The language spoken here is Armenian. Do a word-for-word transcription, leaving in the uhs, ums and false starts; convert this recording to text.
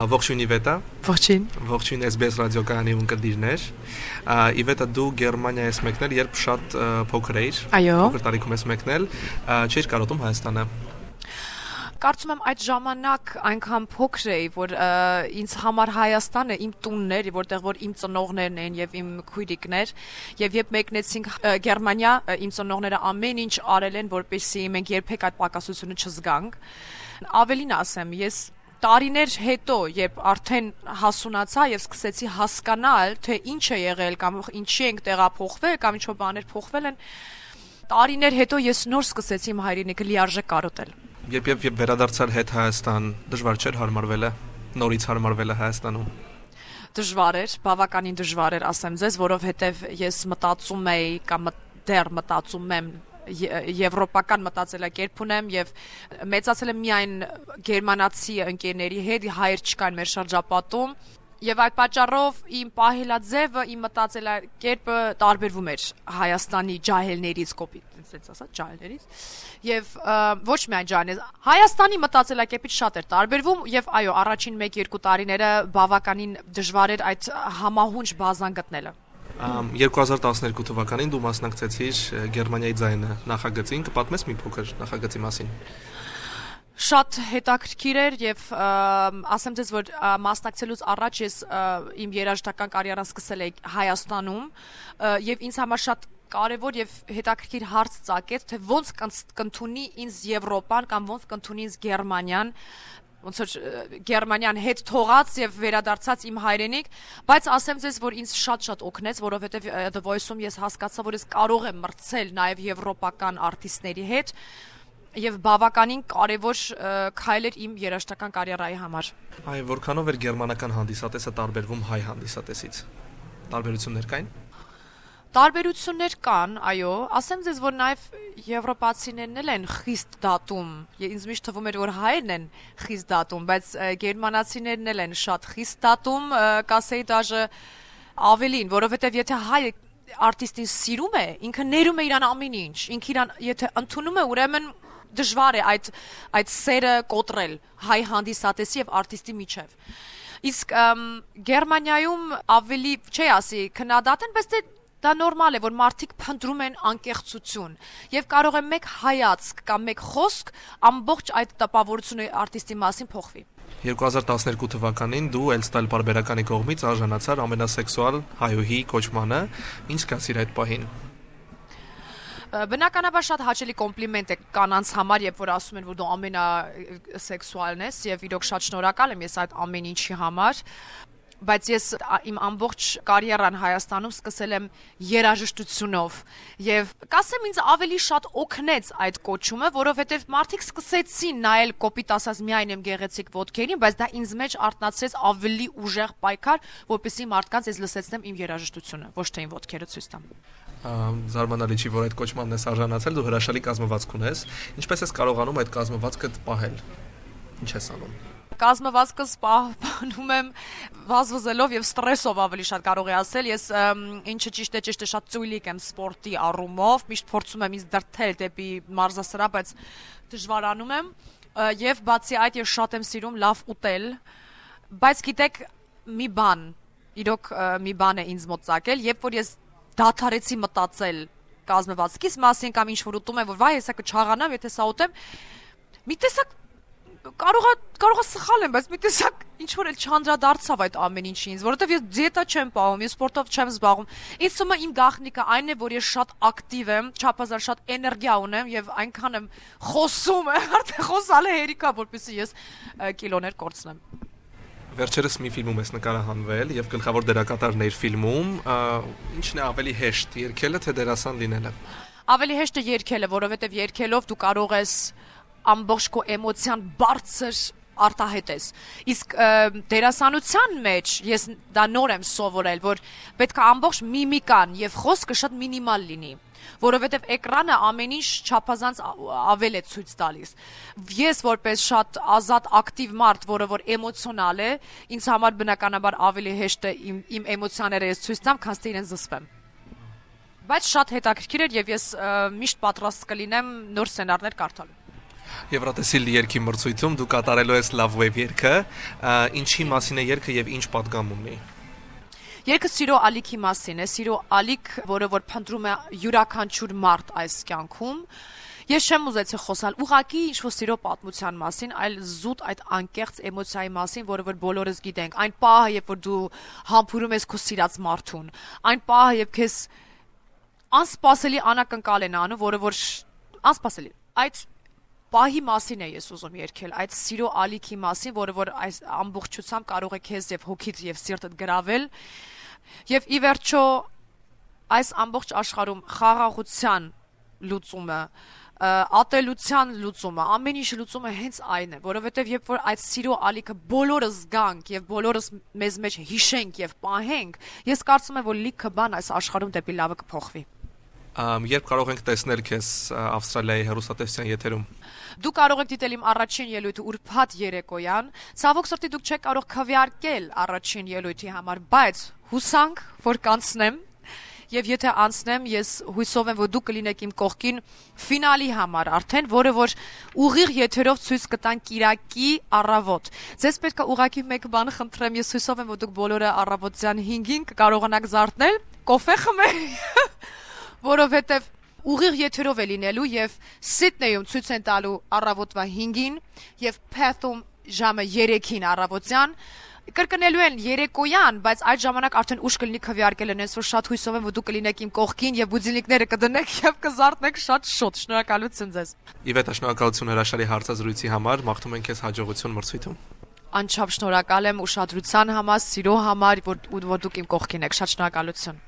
Ողջույն Իվետա։ Ողջույն։ Ողջույն S B S ռադիոկայանի ունկնդիրներ։ Իվետա, դու Գերմանիա ես մեկնել, երբ շատ փոքր էիր։ Այո։ Փոքր տարիքում ես մեկնել, չէիր կարոտում Հայաստանը։ Կարծում եմ այդ ժամանակ այնքան փոքր էի, որ ինձ համար Հայաստանը իմ տունն էր, որտեղ որ իմ ծնողներն են եւ իմ քույրիկներ, եւ երբ մեկնեցինք Գերմանիա, իմ ծնողները ամեն ինչ արել են, որպեսզի մենք երբեք այդ պակասությունը չզգանք։ Ավելին ասեմ, ես տարիներ հետո, երբ արդեն հասունացա եւ սկսեցի հասկանալ, թե ինչ է եղել կամ ինչի ենք տեղափոխվել կամ ինչ-որ բաներ փոխվել են, տարիներ հետո ես նոր սկսեցի իմ հայրենիքը լիարժեք կարոտել։ Երբ երբ վերադարձար հետ Հայաստան, դժվար չէր հարմարվելը, նորից հարմարվելը Հայաստանում։ Դժվար էր, բավականին դժվար էր, ասեմ ձեզ, որովհետեւ ես մտածում էի կամ դեռ մտածում եմ եվրոպական մտածելակերպ ունեմ եւ մեծացել եմ միայն գերմանացի ընկերների հետ, հայեր չկան մեր շրջապատում եւ այդ պատճառով իմ պահելաձևը, իմ մտածելակերպը տարբերվում էր Հայաստանի ջահելներից, կոպիտ ասած, ասած ջահելներից եւ ոչ միայն ջահելներից, Հայաստանի մտածելակերպից շատ էր տարբերվում եւ այո, առաջին մեկ-երկու տարիները բավականին դժվար էր այդ համահունչ բազան գտնելը։ երկու հազար տասներկու թվականին դու մասնակցեցիր Գերմանիայի ձայնը նախագծին, կպատմես մի փոքր նախագծի մասին։ Շատ հետաքրքիր էր եւ ասեմ ձեզ, որ մասնակցելուց առաջ ես իմ երաժշտական կարիերան սկսել էի Հայաստանում եւ ինձ համար շատ կարևոր եւ հետաքրքիր հարց ծագեց, թե ոնց կընդունի ինձ Եվրոպան կամ ոնց կընդունի ինձ Գերմանիան, ոնց որ Գերմանիան հետ թողած եւ վերադարձած իմ հայրենիք, բայց ասեմ ձեզ, որ ինձ շատ-շատ օգնեց, որովհետեւ The Voice-ում ես հասկացա, որ ես կարող եմ մրցել նաեւ եվրոպական արտիստների հետ եւ բավականին կարեւոր քայլ էր իմ երաժշտական կարիերայի համար։ Այո, որքանով էր գերմանական հանդիսատեսը տարբերվում հայ հանդիսատեսից։ Տարբերություններ կային։ Տարբերություններ կան, այո, ասեմ ձեզ, որ նաև եվրոպացիներն էլ են խիստ դատում։ Ինձ միշտ թվում էր, որ հայերն են խիստ դատում, բայց գերմանացիներն էլ են շատ խիստ դատում, կասեի դաժե ավելին, որովհետև եթե հայը արտիստին սիրում է, ինքը ներում է իրան ամեն ինչ, ինքը իրան եթե ընդունում է, ուրեմն դժվար է այդ այդ սերը կոտրել հայ հանդիսատեսի եւ արտիստի միջև։ Իսկ Գերմանիայում ավելի, չի ասի, քննադատ են, բայց դա նորմալ է, որ մարդիկ փնտրում են անկեղծություն եւ կարող է մեկ հայացք կամ մեկ խոսք ամբողջ այդ տպավորությունը արտիստի մասին փոխվի։ երկու հազար տասներկու թվականին դու Elstyle բարբերականի կողմից արժանացար ամենասեքսուալ հայուհի կոչմանը, ինչ կասիր այդ պահին։ Բնականաբար շատ հաճելի կոմպլիմենտ է կանանց համար, երբ որ ասում են, որ դու ամենասեքսուալն ես եւ իրոք շատ շնորհակալ եմ ես այդ ամեն ինչի համար, բայց ես իմ ամբողջ կարիերան Հայաստանում սկսել եմ երաժշտությունով եւ կասեմ ինձ ավելի շատ օգնեց այդ կոչումը, որովհետեւ մարդիկ սկսեցին նայել կոպիտ ասած միայն եմ գեղեցիկ ոտքերին, բայց դա ինձ մեջ արտնացրեց ավելի ուժեղ պայքար, որպեսզի մարդկանց ես լսեցնեմ իմ երաժշտությունը, ոչ թե իմ ոտքերը ցույց տամ։ Զարմանալի չի, որ այդ կոչմանն ես արժանացել, դու հրաշալի կազմվածք ունես։ Ինչպես ես կարողանում այդ կազմվածքը պահել։ Ինչ ես անում։ Կազմվածքս պահպանում եմ վազվզելով եւ ստրեսով ավելի շատ կարող եմ ասել, ես ինչը ճիշտ է, ճիշտ է, շատ ծույլիկ եմ սպորտի առումով, միշտ փորձում եմ ինձ դրթել դեպի մարզասրահ, բայց դժվարանում եմ եւ բացի այդ ես շատ եմ սիրում լավ ուտել, բայց գիտեք մի բան, իրոք մի բան է ինձ մոտ ծագել, երբ որ ես դադարեցի մտածել կազմվածքիս մասին կամ ինչ որ ուտում եմ, որ վայ, հեսա կչաղանամ, եթե սա ուտեմ, մի տեսակ կարող է կարող է սխալ եմ, բայց մի տեսակ ինչ որ էլ չանդրադարձավ այդ ամեն ինչի ինձ, որովհետև ես դիետա չեմ պահում, ես սպորտով չեմ զբաղվում։ Ինձ թվում է իմ գաղտնիքը այն է, որ ես շատ ակտիվ եմ, չափազանց շատ էներգիա ունեմ եւ այնքան եմ խոսում, արդեն խոսալը հերիքա, որպեսզի ես կիլոներ կորցնեմ։ Վերջերս մի ֆիլմում ես նկարահանվել եւ գլխավոր դերակատարն էր ֆիլմում, ինչն է ավելի հեշտ, երգելը թե դերասան լինելը։ Ավելի հեշտ է երգելը, որովհետև երգելով դու կարող ես ամբողջ քո էմոցիան բարձր արտահայտես։ Իսկ դերասանության մեջ ես դա նոր եմ սովորել, որ պետք է ամբողջ միմիկան եւ խոսքը շատ մինիմալ լինի, որովհետեւ էկրանը ամեն ինչ չափազանց ավել է ցույց տալիս։ Ես որպես շատ ազատ ակտիվ մարդ, որը որ էմոցիոնալ է, ինձ համար բնականաբար ավելի հեշտ է իմ, իմ էմոցիաները ես ցույց տամ, քան թե իրեն զսպեմ։ Բայց շատ հետաքրքիր էր եւ ես միշտ պատրաստ կլինեմ նոր սցենարներ կարդալու։ Եվրատեսիլ երգի մրցույթում դու կատարելու ես Love Wave երգը, ինչի մասին է երգը եւ ինչ պատգամ ունի։ Երգը սիրո ալիքի մասին է, սիրո ալիք, որը որ փնտրում է յուրաքանչյուր մարդ այս կյանքում։ Ես չեմ ուզեցի խոսալ ուղղակի ինչ-որ սիրո պատմության մասին, այլ զուտ այդ անկեղծ էմոցիայի մասին, որը որ բոլորս գիտենք։ Այն պահը, երբ որ դու համբուրում ես քո սիրած մարդուն, այն պահը, երբ քեզ անսպասելի անակնկալ են անում, որը որ անսպասելի։ Այդ պահի մասին է ես ուզում երգել, այդ սիրո ալիքի մասին, որը որ այս ամբողջությամբ կարող է քեզ եւ հոգիդ եւ սիրտդ գրավել։ Եվ ի վերջո այս ամբողջ աշխարհում խաղաղության լուծումը, ատելության լուծումը, ամեն ինչ լուծումը հենց այն է, որովհետև երբ որ այդ սիրո ալիքը բոլորս զգանք եւ բոլորս մեզ մեջ հիշենք եւ պահենք, ես կարծում եմ, որ լիքը բան այս աշխարհում դեպի լավը կփոխվի։ Երբ կարող ենք տեսնել քեզ Ավստրալիայի հեռուստատեսության եթերում։ Դու կարող եք դիտել իմ առաջին ելույթը ուրբաթ երեկոյան, ցավոք սրտի դուք չեք կարող քվեարկել առաջին ելույթի համար, բայց հուսանք, որ կանցնեմ։ Եվ եթե անցնեմ, ես հույսով եմ, որ դուք կլինեք իմ կողքին ֆինալի համար արդեն, որը որ ուղիղ եթերով ցույց կտան Կիրակի առավոտ։ Ձեզ պետք է ուղղակի մեկ բան խնդրեմ, ես հույսով եմ, որ դուք բոլորը առավոտյան հինգին կկարողանաք զարթնել, կոֆե խմել, որովհետև ուղիղ եթերով է լինելու եւ Սիդնեյում ցույց են տալու առավոտվա հինգին եւ Perth-ում ժամը երեքին առավոտյան։ Կրկնելու են երեկոյան, բայց այդ ժամանակ արդեն ուշ կլինի քվեարկել են, որ շատ հույսով եմ, որ դուք կլինեք իմ կողքին եւ բուձինիկները կդնեք եւ կզարթնեք շատ շուտ։ Շնորհակալություն ձեզ։ Իվետա, շնորհակալություն հրաշալի հարցազրույցի համար, մաղթում ենք քեզ հաջողություն մրցույթում։ Անչափ շնորհակալ եմ ուշադրության համար, սիրո համար, որ որ դուք իմ կողքին եք։ Շատ շնորհակալություն։